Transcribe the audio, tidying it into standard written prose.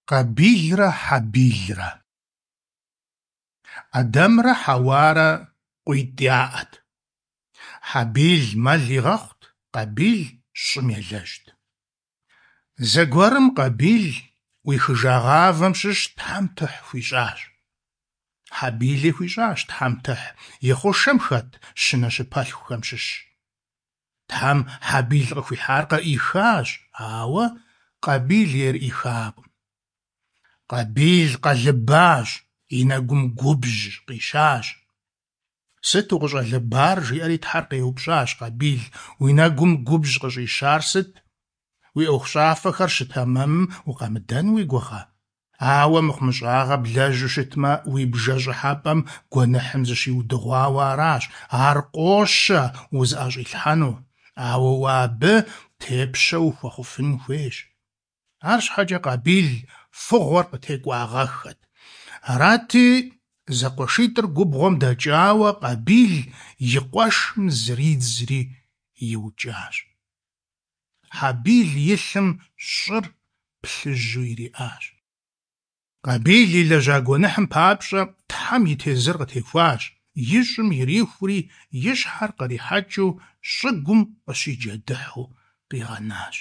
Къэбилрэ Хьэбилрэ. Ӏэдэмрэ Хьэуарэ къуитӏ яӏэт. Хьэбил мэл игъэхъут, Къэбил щӏым елэжьт. Зэгуэрым Къэбил ӏуихыжа гъавэм щыщ Тхьэм тыхь хуищӏащ. Хьэбили хуищӏащ Тхьэм тыхь и хъушэм хэт щынэ щыпэлъхухэм щыщ. Тхьэм Хьэбил къыхуихьар къыӏихащ, ауэ Къэбил ейр ӏихакъым. Къэбил къэлыбащ, и нэгум губжь къищащ. Сыт укъыщӏэлыбар? – жиӏэри Тхьэр къеупщӏащ Къэбил. Уи нэгум губжь къыщӏищар сыт? Уи ӏуэхущӏафэхэр щытэмэмым укъамыдэн уи гугъэ? Ауэ мыхъумыщӏагъэ блэжьу щытмэ, уи бжэ щӏыхьэпӏэм гуэныхьым зыщиудыгъуауэ аращ, ар къощэ узыӏэщӏилъхьэну, ауэ уэ абы тепщэ ухуэхъуфын хуейщ. Арщхьэкӏэ Къэбил фыгъуэр къытекӏуагъэххэт. Арати, зэкъуэшитӏыр губгъуэм дэкӏауэ, Къэбил и къуэшым зридзри иукӏащ. Хьэбил и лъым щӏыр плъыжьу ириӏащ. Къэбил илэжьа гуэныхьым папщӏэ Тхьэм и тезыр къытехуащ, и щӏым ирихури, и щхьэр кърихьэкӏыу щӏыгум къыщиджэдыхьу къигъэнащ.